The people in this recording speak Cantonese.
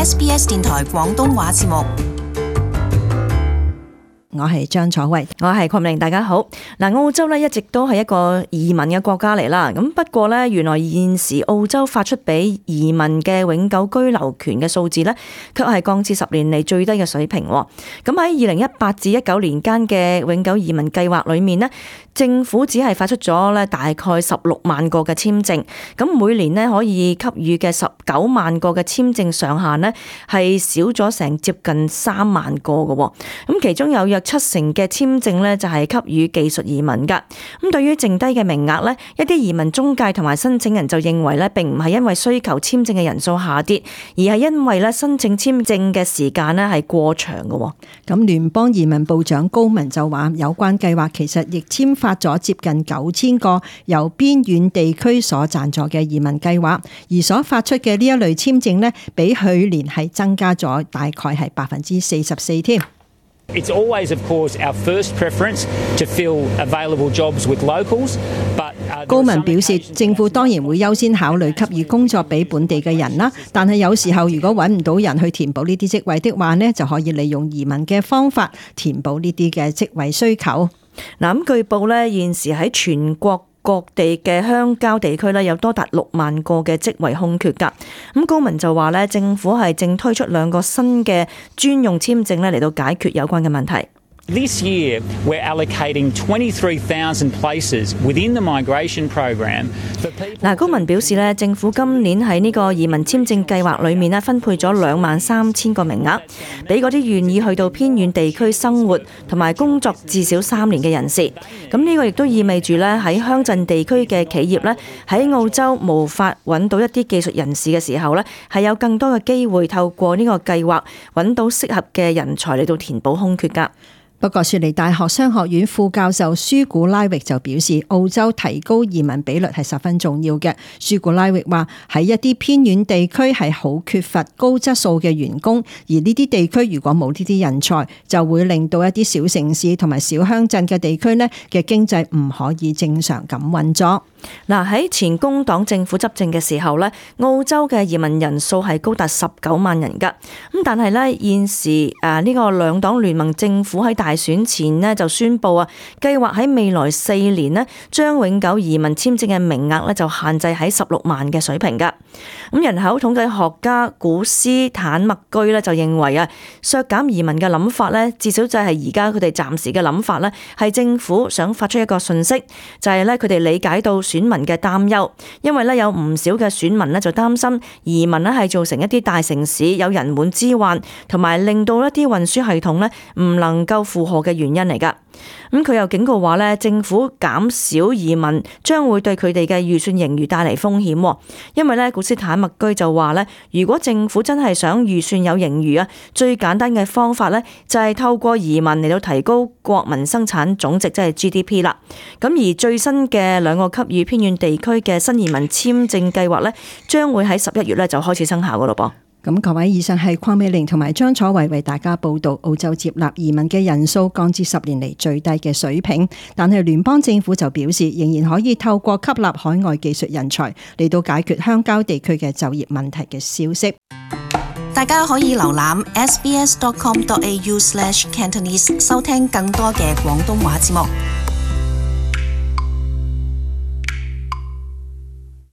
SBS 電台廣東話節目。我係張楚慧，我係鄺明，大家好。澳洲一直都係一個移民嘅國家嚟啦。咁不過原來現時澳洲發出俾移民嘅永久居留權嘅數字卻係降至10年嚟最低嘅水平。咁喺2018至19年間嘅永久移民計劃裏面政府只係發出咗大概16萬個嘅簽證，咁每年可以給予嘅19萬個嘅簽證上限係少咗成接近3萬個嘅。咁其中有約70%嘅簽證就係給予技術移民噶。咁對於剩低嘅名額一啲移民中介同埋申請人就認為並唔係因為需求簽證嘅人數下跌，而係因為申請簽證嘅時間係過長嘅。咁聯邦移民部長高文就話，有關計劃其實亦簽發咗接近9000個由邊遠地區所贊助嘅移民計劃，而所發出嘅呢一類簽證比去年係增加咗大概係44%添。It's always, of course, our first preference to fill available jobs with locals, but 高文表示，政府當然會優先考慮給予工作俾本地嘅人啦，但係有時候如果揾唔到人去填補呢啲職位的話就可以利用移民嘅方法填補呢啲嘅職位需求。咁據報現時喺全國各地嘅鄉郊地區有多達6萬個嘅職位空缺㗎。咁高文就話政府係正推出2個新嘅專用簽證嚟到解決有關嘅問題。This year, we're allocating 23,000 places within the migration program for people. 高文表示政府今年喺呢個移民簽證計劃裏面分配咗23,000個名額，俾嗰啲願意去到偏遠地區生活同埋工作至少3年嘅人士。咁呢個亦都意味住喺鄉鎮地區嘅企業喺澳洲無法揾到一啲技術人士嘅時候係有更多嘅機會透過呢個計劃揾到適合嘅人才嚟到填補空缺㗎。不過雪梨大學商學院副教授舒古拉域就表示，澳洲提高移民比率係十分重要嘅。舒古拉域話，喺一啲偏遠地區係好缺乏高質素嘅員工，而呢啲地區如果冇呢啲人才，就會令到一啲小城市同埋小鄉鎮嘅地區嘅經濟唔可以正常咁運作。喺前工黨政府執政嘅時候澳洲嘅移民人數係高達19萬人㗎。咁但係現時呢個兩黨聯盟政府喺大選前就宣布計劃喺未來4年將永久移民簽證嘅名額就限制喺16萬嘅水平㗎。咁人口統計學家古斯坦麥居就認為削減移民嘅諗法至少就係而家佢哋暫時嘅諗法係政府想發出一個訊息，就係佢哋理解到選民嘅擔憂，因為有唔少嘅選民就擔心移民係造成一啲大城市有人滿之患，同埋令到一啲運輸系統唔能夠負荷嘅原因嚟㗎。咁佢又警告話政府減少移民將會對佢哋嘅預算盈餘帶嚟風險，因為古斯坦麥居就話如果政府真係想預算有盈餘最簡單嘅方法就係透過移民嚟到提高國民生產總值，即係 GDP 啦。咁而最新嘅2個給予偏遠地區嘅新移民簽證計劃將會喺11月就開始生效噶咯噃。咁各位，以上係鄺美玲同埋張楚慧為大家報道，澳洲接納移民嘅人數降至10年嚟最低嘅水平，但係聯邦政府就表示仍然可以透過吸納海外技術人才嚟到解決鄉郊地區嘅就業問題嘅消息。大家可以瀏覽 sbs.com.au/Cantonese 收聽更多嘅廣東話節目。